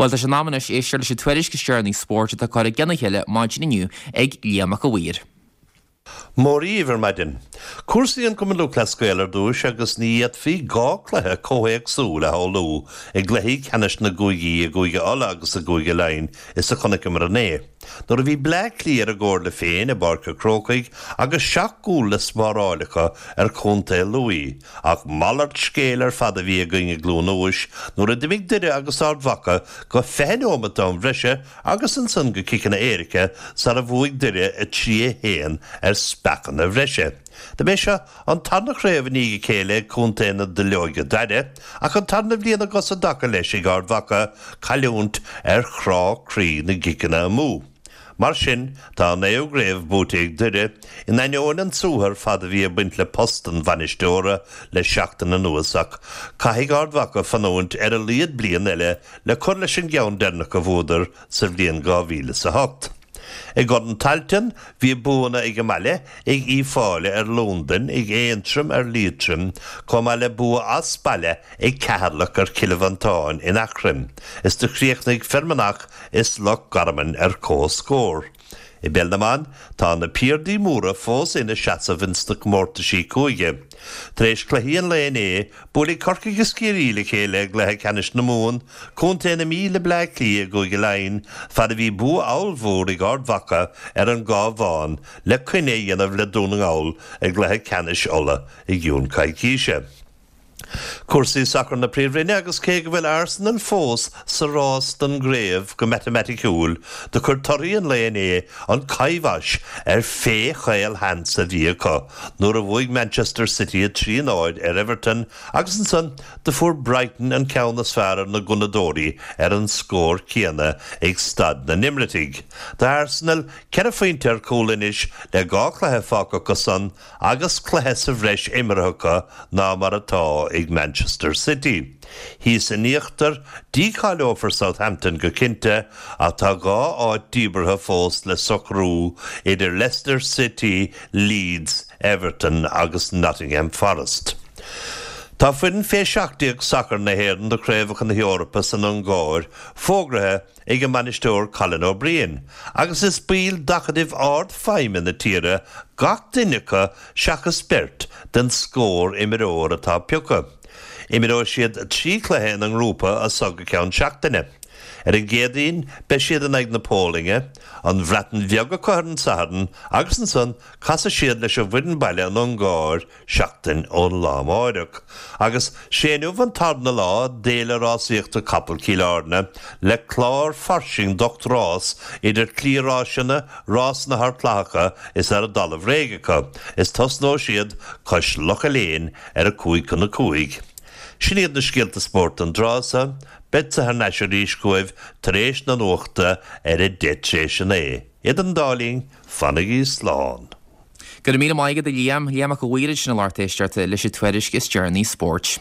Bhuel, tá sé in am anois éisteacht leis an tuairisc is deireanaí spóirt atá curtha i gcionn a chéile maidin inniu ag Liam Mac a' Mhaoir. Mora dhaoibh ar maidin. Cúrsaí an Chumainn Lúthchleas Gael ar dtúis agus ní fhéadfaí 2 cluiche chomh héagsúil a shamhlú i gcluichí ceannais na gcúigí i gCúige Uladh agus i gCúige Laighean is a chonaiceamar inné nuair a bhí Bleá Cliath ar a gcomhairle féin i bPáirc a' Chrócaigh agus seacht gcúl le spáráil acu ar Chontae Lú ach malairt scéil ar fad a bhí againn i gCluain Eois nuair a d'imigh Doire agus Ard Mhacha go 20 neomat d'am bhreise agus ansan go ciceanna éirice sara bhuaigh Doire 3, 1 ar speachanna bhreise. Do b'é seo an tarna chraobh i ndiaidh a chéile ag contae na duilleoige daire, ach an tarna bhliain i gcos i dtaca leis ag Ard Mhacha cailliúint ar chrá croí na gciceanna amú. Mar sin, tá an naoú gcraobh buaite ag Doire, in ainneoin an tsuaithe ar fad a bhí ag baint le post an bhainisteora le seachtain anuas ach caithfidh Ard Mhacha fanúint ar a laghad bliain eile le cur leis an gceann deireanach a bhuadar sa bhliain 2008. I gCorn Tailteann, bhí buanna ag an mbaile ag Uíbh Fhailí ar Londain, ag Aontroim ar Liatroim, chomh maith le bua as baile ag Ceatharlach ar Chill Mhantáin in Eachroim, is do chríochnaigh Fear Manach is Loch Garman ar comhscór. I bPeil na mBan, tá na piardaí móra fós ina seasamh ins na comórtaisí cúige. Tar éis cluichí an lae inné, buailfidh Corcaigh is Ciarraí le chéile i gcluiche ceannais na Mumhan, Contae na Mí le Bleá Cliath i gCúige Laighean, fad a bhí bua ollmhór ag Ard Mhacha ar an gCabhán le coinne a dhéanamh le Dún na nGall i gcluiche ceannais Uladh i gcionn coicíse. Cúrsaí sacair na Príomhroinne agus cé go bhfuil Arsenal fós sa rás don gcraobh go matamaiticiúil, do chuir torthaí an lae inné an kibosh ar phé chaol-sheans a bhí acu nuair a bhuaigh Manchester City 3, 0 ar Everton agus ansan do fuair Brighton an ceann is fearr ar na Gunnadóirí ar an scór céanna ag Staid na nEimiritigh. Tá Arsenal ceithre phointe ar chúl anois le dhá chluiche fágtha acu san agus cluiche sa bhreis imeartha acu ná mar atá ag Manchester City. Thíos in íochtar, dícháileofar Southampton go cinnte ach tá 2 áit díbeartha fós le socrú idir Leicester City, Leeds, Everton agus Nottingham Forest. Tá foireann fé 17 sacair na hÉireann do Chraobhacha na hEorpa san Ungáir fógraithe ag a mbainisteoir Colin O'Brien, agus is baill d'acadaimh ardfheidhme na tíre gach duine acu seachas beirt den scór imreoir atá pioctha. Imreoidh siad 3 chluiche ina ngrúpa as so go ceann seachtaine. Ar an gCéadaoin beidh siad in aghaidh na Polainne, an Bhreatain Bheag acu ar an Satharn agus ansan casfaidh siad leis an bhfoireann baile an Ungáir seachtain ón lá amáireach. Agus sé inniu an tarna lá d'Fhéile Rásaíochta Capall Chill Airne le clár fairsing d'ocht rás idir cliathráiseanna, rásanna thar clathacha is ar an dtalamh réidh acu, is tosnóidh siad cois Locha Léin ar a 4:55. Sin iad na scéalta spóirt don dtráth so, beadsa thar n-ais arís chugaibh tar éis na nuachta ar a 9:30 tréis a 9. Idir an dá linn, fanaigí slán. Go raibh míle maith agat a Liam. Liam Mac a' Mhaoir ansin a lucht éisteachta leis an tuairisc is deireanaí spóirt.